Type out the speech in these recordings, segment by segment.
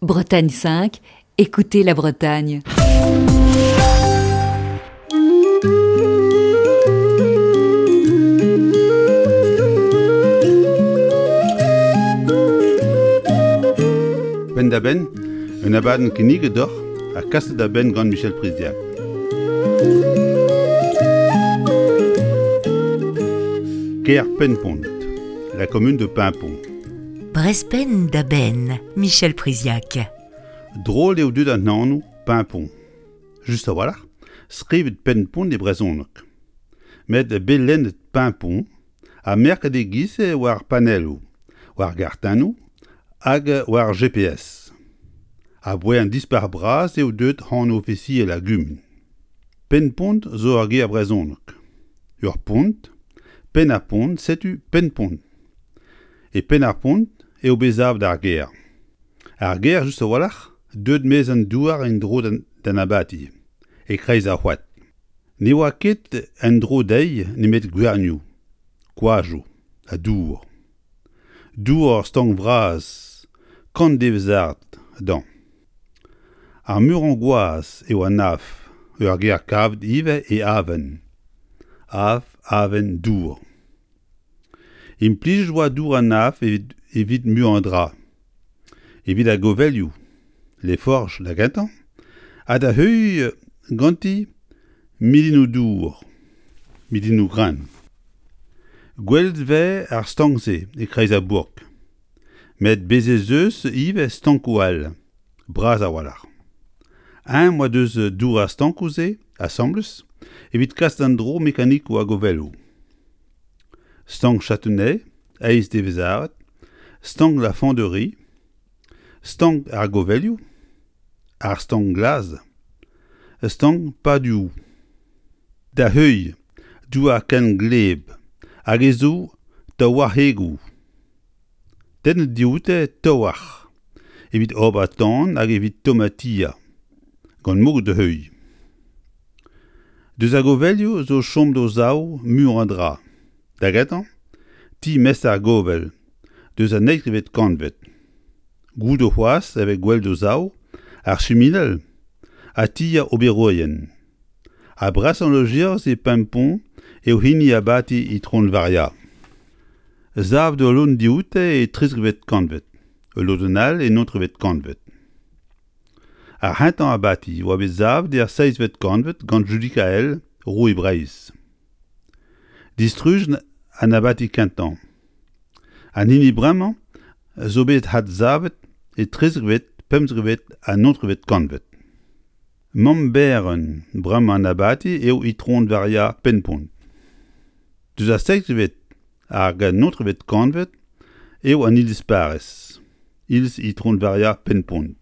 Bretagne 5, écoutez la Bretagne. Penn-da-benn, un abadenn kinniget deoc'h ha kaset da benn gant Michel Priziac. Kêr Pennpont, la commune de Paimpont. Brezpenn da benn, Michel Priziac. Drol eo deuet an anv Paimpont. Just a-walc'h, skrivet Pennpont e brezhoneg. Met bet lennet Paimpont ha merket e-giz-se war panelloù, war gartennoù hag war GPS. Aboae an Dispac'h bras eo deuet anv ofisiel ar gumun. Pennpont zo ur ger brezhonek. Ur pont, penn ar pont, setu Pennpont. E penn ar pont eo bet savet ar gêr. Ar gêr just a-walc'h deuet maez an douar en-dro d'an abati, e-kreiz ar c'hoad. Ne oa ket en-dro dezhi nemet gwernioù, koajoù ha dour. Dour ur stank vras, kant devezh-ard dezhañ. Ar murañ gwaz eo an af, ur ger kavet ivez e Aven. Af, aven, dour. Implijet oa dour an af evit muiañ a dra. Evit ar govelioù, Les Forges da gentañ, ha da heuilh ganti milinoù-dour, milinoù-greñv. Gwelet 'vez ar stank-se e-kreiz ar bourk. Met bez' ez eus ivez stankoù all, bras a-walc'h. Eñ 'oa deus dour ar stankoù-se asambles evit kas d'an dro mekanikoù ar govelloù. Stank Châtenay, eizh devezh-arat, stank La Fonderie, stank ar govelioù, ar stank glas, stank Paduoù. Da heuilh douar ken gleb hag ez zo taouarc'hegoù. Tennet dioute taouarc'h evit ober tan hag evit tommañ tier, gant moged da heuilh. Deus ar govelioù zo chom d'o sav muioc'h a dra. Da gentañ, ti mestr ar govel, deus an eizhvet kantved. Goude c'hoazh e vez gwelet o sav ar chiminal ha ti ar oberourien. Ha brasañ lojerzh e Pempont eo hini abati Itron Varia. Savet ul lodenn dioute e trizekvet kantved, ul lodenn all e naontekvet kantved. Ar c'hentañ abati a oa bet savet er seizhvet kantved gant Judikael, roue Breizh. Distrujet an abati kentañ. An hini bremañ zo bet adsavet e trizekvet, pemzekvet ha naontekvet kantved. Mamm-berenn bremañ an abati eo Itron Varia Pennpont. Deus ar seizhvet hag an naontekvet kantved eo an iliz-parrez, iliz Itron Varia Pennpont.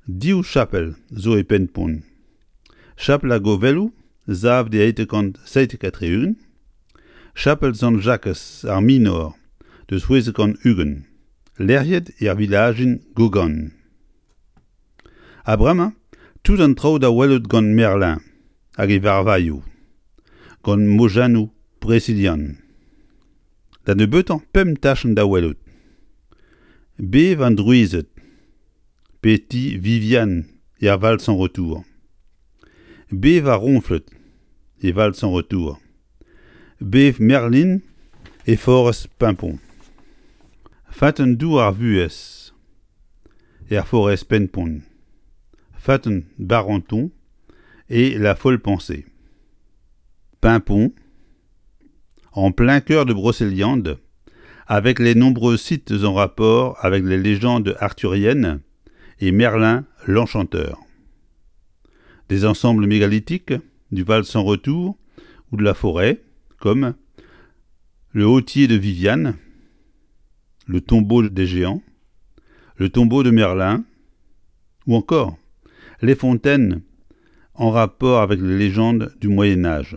Div chapel zo e Pennpont. Chapel ar Govelloù, savet e 1877, chapel Sant-Jakez ar Minor deus 620, lec'hiet er vilajenn Gaugan. Ha bremañ tout an traoù da welout gant Merlin hag e varvailhoù, gant mojennoù brezilian. Da nebeutañ pemp tachenn da welout. Bev an drouized, pe ti Viviane er Val sans Retour. Bev ar roñfled e Val sans Retour. Bev Merlin e forest Paimpont. Feunteun dour ar vuhez er forest Pennpont. Feunteun Barenton et la folle pensée. Paimpont, en plein cœur de Brocéliande, avec les nombreux sites en rapport avec les légendes arthuriennes et Merlin l'Enchanteur. Des ensembles mégalithiques du Val sans retour ou de la forêt, comme le hautier de Viviane, le tombeau des géants, le tombeau de Merlin, ou encore les fontaines en rapport avec les légendes du Moyen Âge,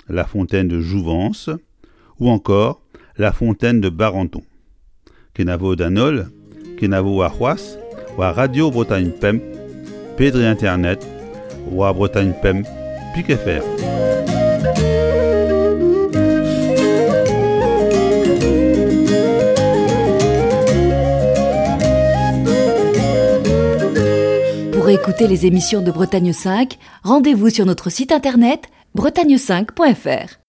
la fontaine de Jouvence ou encore la fontaine de Barenton. Kenavo d'an holl, kenavo warc'hoazh war Radio Bretagne Pemp pe dre internet war Bretagne Pemp pik fr. Pour écouter les émissions de Bretagne 5, rendez-vous sur notre site internet bretagne5.fr.